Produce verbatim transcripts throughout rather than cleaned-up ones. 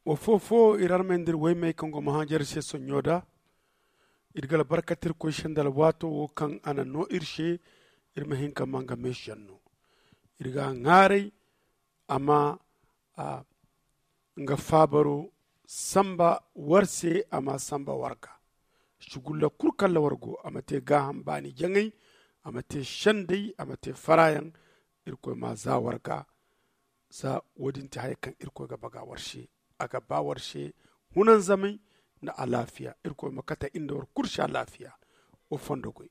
Wa fo fo iri armey nda iri woymey kaŋ go mahajar se sonɲo da. Iri ga albarkate irkoy se nda alwaato wo kaŋ a na no iri se. Iri ma hin ka ma nga meesiyaŋ no. Iri ga a ŋwaaray a ma nga faabaro samba war se, a ma a samba war ga. Sugulla kulu kaŋ ra war go, a ma te gaaham baani jaŋay, a ma te sendey, a ma te faraayaŋ. Irkoy ma a za war ga. Za wo- din ti haya kaŋ irkoy ga baga war se. A ga ba war se hunanzamay nda alaafiya. Irkoy ma kate iri nda war kulu se alaafiya. Wa fondo goy.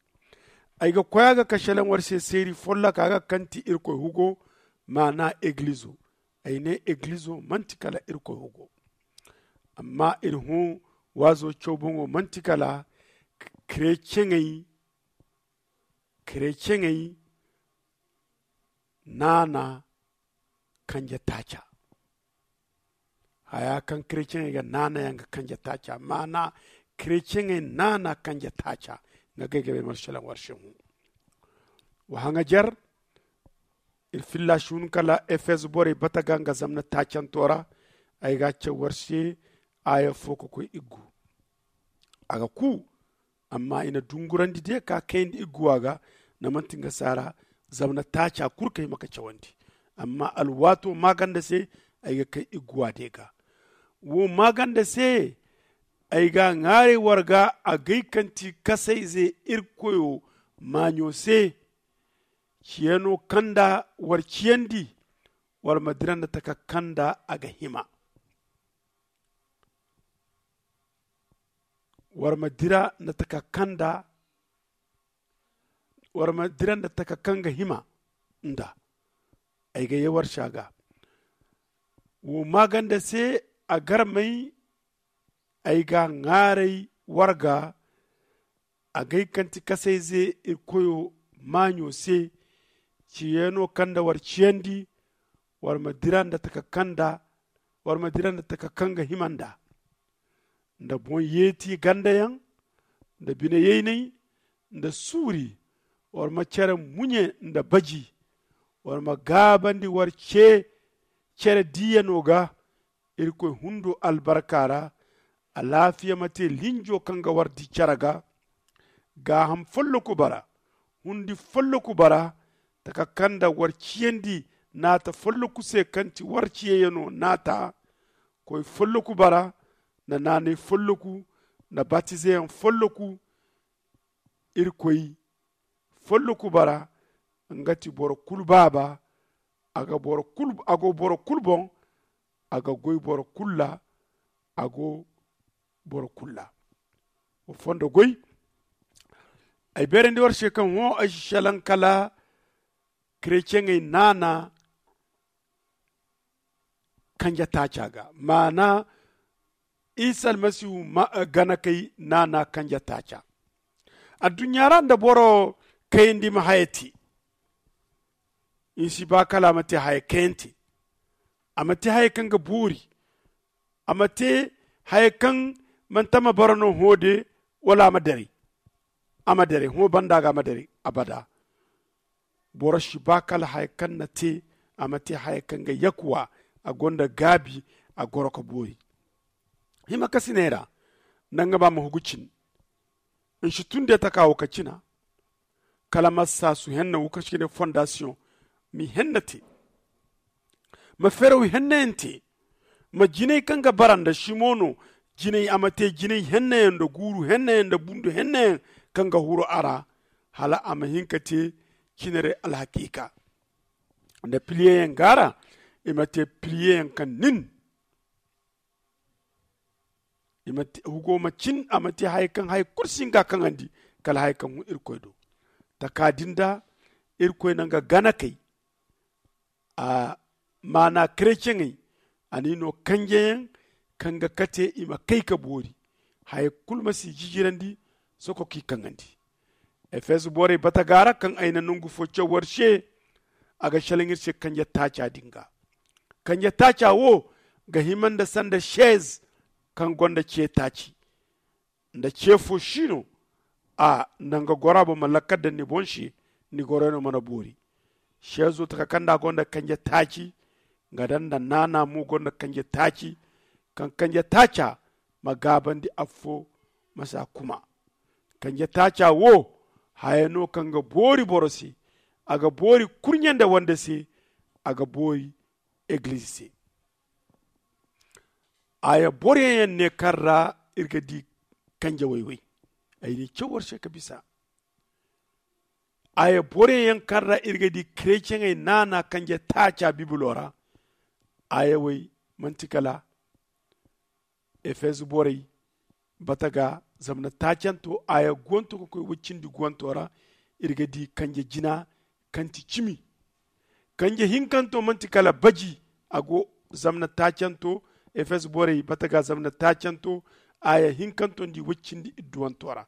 Ay ga koy a ga kashalaŋ war se seeri folloka ga kaŋ ti irkoy hugo, maana egilizo. Ay ne egilizo manti kala irkoy hugo. Amma iri hõ waazo caw boŋo manti kala kereceŋey kereceŋey naana kanje taaca. Haya kaŋ kereceŋey ga naana yaŋ ga kanje taaca maana kereceŋey naana kanje taaca. Nga gay ga bay marshalaŋ war se hõ. Wa haŋajer iri filla si hun kala efez borey bata ga nga zamna taacanto ra. Ay ga a caw war se aaya fo ka koy iggu. A ga ku amma i na dungurandi de ka kayandi igguwa ga. Namanti nga saara zamna taaca kulu kay ma ka cawandi. Amma alwaato maaganda se ay ga kay igguwa de ga. Wo maaganda se ay ga a ŋwaaray war ga agay kaŋ ti kasayze irkoyo maaɲo se. Ciyano kaŋ nda war ciyandi war ma dira nda taka kaŋ nda a ga hima. War ma dira nda taka kaŋ nda war ma dira nda taka kaŋ ga hima nda. Ay ga ye war se a ga wo maaganda se a garmay. Ay ga a ŋwaaray war ga agay kaŋ ti kasayze irkoyo maaɲo se. Ciyaano kaŋ nda war ciyandi war ma dira nda taka kaŋ nda war ma dira nda taka kaŋ ga hima nda. Nda boŋ yeeti gandayaŋ nda bine yaynay nda suuri. War ma cere muɲe nda baji. War ma gaabandi war ce cere diiyano ga. Irkoy hundo albarka ra. Alaafiya ma te linjo kaŋ ga war di care ga. Gaaham folloku bara hundi folloku bara. Taka kaŋ nda war ciyandi naata folloku se kaŋ ti war ciyayano naata. Koy folloku bara nda naanay folloku nda batizeyaŋ folloku. Irkoy folloku bara nga ti boro kulu baaba. A go boro kulu boŋ. A ga goy boro kulu ra. A go boro kulu ra. Wa fondo goy. Ay beerandi war se kaŋ hõ ay si selaŋ kala kereceŋey naana kanje taaca ga maana isa almasihu ganakey naana kanje taaca. Adduɲɲa ra nda boro kayandi ma haya te. Ni si ba kala a ma te haya kayante. A ma te haya kaŋ ga boori. A ma te haya kaŋ manti a ma bara no hõ de wala a ma daray. A ma daray hõ banda ga a ma daray abada. Boro si ba kala haya kaŋ na te. A ma te haya kaŋ ga yakuwa. A gonda gaabi. A goro ka boori hima kasiney ra. Nda nga ba ma hugu cin. Ni si tun de taka wo ka cina. Kala ma saasu henna wo kaŋ se ga ne fondasiyoŋ. Ma i henna te. Ma feeraw hennayaŋ te. Ma jinay kaŋ ga bara nda simo no. Jinay a ma te jinay hennayaŋ nda guuru hennayaŋ nda bundu hennayaŋ kaŋ ga huru a ra. Hala a ma hin ka te cinarey alhakiika. Nda piliyeyaŋ gaara i ma te piliyeyaŋ kaŋ nin. Hugo ma cin a ma te haya kaŋ haya kulu si nga kaŋandi. Kala haya kaŋ hun irkoy do taka din da irkoy na nga ganakey. A maana kereceŋey a n'i no kanjeyaŋ kaŋ ga kate i ma kay ka boori. Haya kulu ma si jijirandi soko k'i kaŋandi. Efeso borey bata ga ra kaŋ ay na nangu fo caw war se. A ga selaŋ iri se kanje taaca din ga. Kanje taaca wo ga hima nda sanda seez kaŋ gonda ce taaci. Nda ce fo si no a nanga gora boŋ ma lakkal daŋ ni boŋ se. Ni goroyaŋo mana boori. Seezo taka kaŋ nda a gonda kanje taaci. Nga daŋ nda naana mo gonda kanje taaci. kaŋ kanje taaca ma gaabandi affo ma si a kuma. Kanje taaca wo haya no kaŋ ga boori boro se. A ga boori kurɲe nda wande se. A ga boori egilize se. Aya boroyaŋ yaŋ ne kaŋ ra iri ga di kanje wayway. Ay n'i caw war se ka bisa. Aya boroyaŋ yaŋ kaŋ ra iri ga di kereceŋey naana kanje taaca bibilo ra. Aya way manti kala efezu borey bata ga zamna taacanto aya guwanto ga koy waccindi guwanto ra. Iri ga di kanje jina kaŋ ti cimi. Kanje hinkanto manti kala baji. A go zamna taacanto efezu borey bata ga zamna taacanto aya hinkanto nda i waccindi idduwanto ra.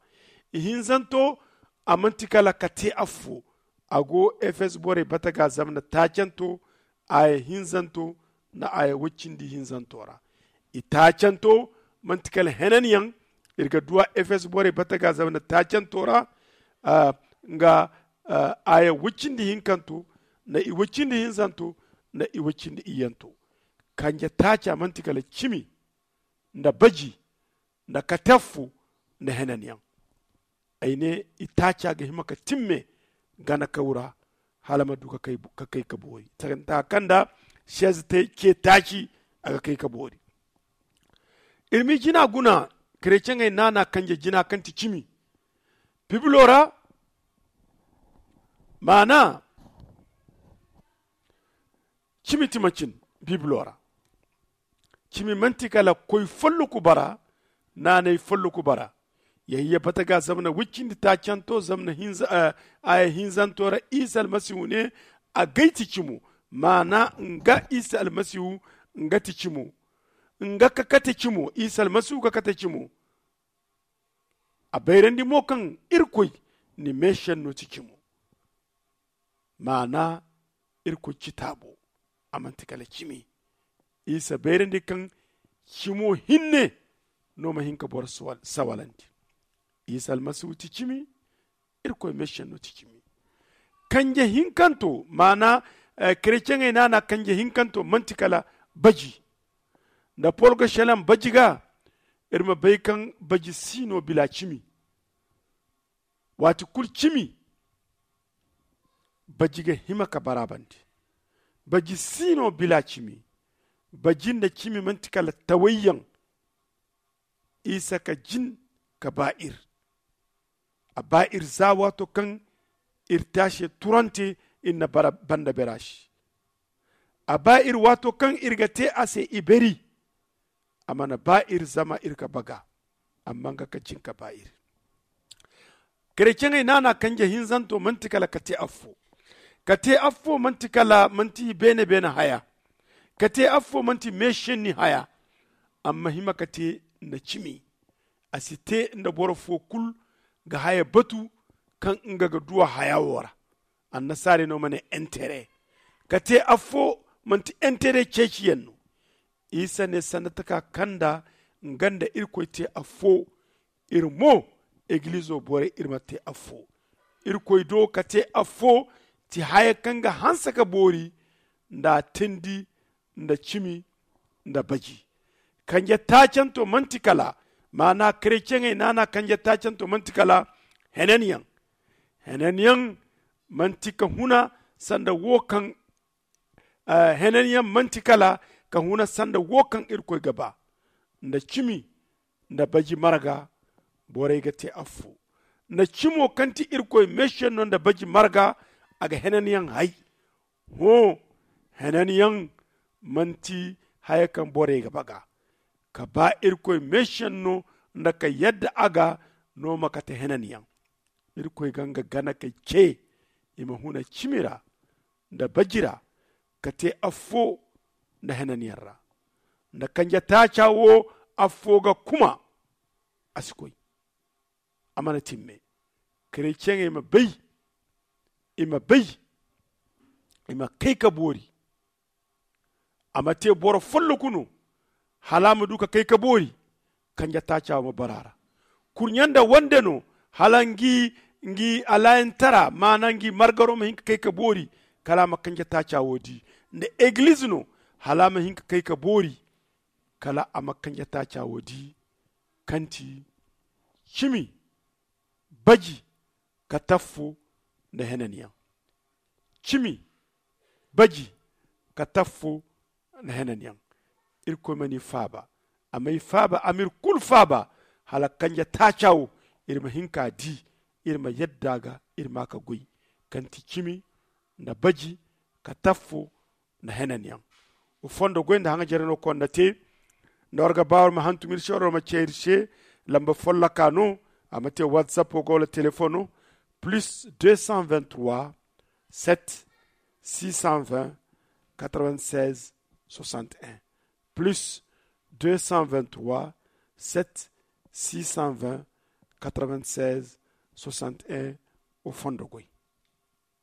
Ihinzanto a manti kala ka te affo. A go efezu borey bata ga zamna taacanto aya hinzanto nda aya waccindi hinzanto ra. I taacanto manti kala henanyaŋ. Iri ga duwa efezu borey bata ga zamna taacanto ra nga aya waccindi hinkanto nda i waccindi hinzanto nda i waccindi iyyanto. Kanje taaca manti kala cimi nda baji nda kate affo nda henanyaŋ. Ay ne i taaca ga hima ka timme gana kaw ra hala ma du ka kay ka boori. Tanta kaŋ nda sez te ce taaci a ga kay ka boori. Iri ma i jina guna kereceŋey naana kanje jina kaŋ ti cimi bibilo ra. Maana cimi ti macin bibilo ra. Cimi manti kala koy folloku bara naanay folloku bara. Yayya bata ga zamna waccindi taacanto zamna aya hinzanto ra isa almasihu ne. Agay ti cimo maana nga isa almasihu nga ti cimo. Nga ka kate cimo isa almasihu ka kate cimo. A bayrandi mo kaŋ irkoy ni meesenno ti cimo. Maana irkoy citaabo a manti kala cimi. Isa bayrandi kaŋ cimo hinne no ma hin ka boro sawalandi. Isa almasihu ti cimi. Irkoy meesenno ti cimi. Kanje hinkanto maana kereceŋey naana kanje hinkanto manti kala baji. Nda pol ga selaŋ baji ga iri ma bay kaŋ baji si no bila cimi. Waati kulu cimi baji ga hima ka baraabandi. Baji si no bila cimi. Baji nda cimi manti kala tawayyaŋ. Isa ka jin ka ba iri. A ba iri za waato kaŋ iri te a se turante iri na banda bera se. A ba iri waato kaŋ iri ga te a se iberi. A mana ba iri zama iri ga baga. Amma nga ka jin ka ba iri. Kereceŋey naana kanje hinzanto manti kala ka te affo. Ka te affo manti kala manti beene beene haya. Ka te affo manti meesenni haya. Amma hima ka te nda cimi. A si te nda boro fo kulu ga haya batu kaŋ nga ga duwa haya wo ra. Annasaarey no ma ne entere. Ka te affo manti entere ceeciyaŋ no. Isa ne sanda taka kaŋ nda nga nda irkoy te affo. Iri mo egilizo borey iri ma te affo. Irkoy do ka te affo ti haya kaŋ ga hanse ka boori nda a teendi nda cimi nda baji. Kanje taacanto manti kala maana kereceŋey naana kanje taacanto manti kala henanyaŋ. Henanyaŋ manti ka huna sanda wo kaŋ henanyaŋ manti kala ka huna sanda wo kaŋ irkoy ga ba. Nda cimi nda baji marga borey ga te affo. Nda cimo kaŋ ti irkoy meesenno nda baji marga a ga henanyaŋ hay. Hõ, henanyaŋ manti haya kaŋ borey ga baga. Ka ba irkoy meesenno nda ka yadda a ga no ma kate henanyaŋ. Irkoy ga nga gana kay ce i ma huna cimi ra nda baji ra ka te affo nda henanyaŋ ra. Nda kanje taaca wo affo ga kuma. A si koy. A mana timme. Kereceŋey ma bay i ma bay i ma kay ka boori. A ma te boro folloku no hala a ma du ka kay ka boori. Kanje taaca ma bara ra kurɲe nda wande no hala ngi ngi alaayantara maana ngi margaro ma hin ka kay ka boori. Kala a ma kanje taaca wo di nda egiliz no hala a ma hin ka kay ka boori. Kala a ma kanje taaca wo di kaŋ ti cimi, baji, kataffo, nda henanyaŋ. Cimi, baji, kataffo, nda henanyaŋ. Irkoy ma ni faaba. A m'ay faaba a m'iri kulu faaba. Hala kanje taaca wo iri ma hin ka di, iri ma yadda a ga, iri ma a ka goy, kaŋ ti cimi, nda baji, kataffo, nda henanyaŋ. Wa fondo goy nda haŋajeray no kaŋ ni na te. Nda war ga ba war ma hantum iri se war ma ce iri se. Lamba folloka no. A ma te whatsapp wo ga wala telefoŋ no. Plus deux cent vingt trois, sept, six cent vingt, quatre vingt seize, soixante et un. Plus deux cent vingt trois, sept, six cent vingt, quatre vingt seize, soixante et un. Wa fondo goy.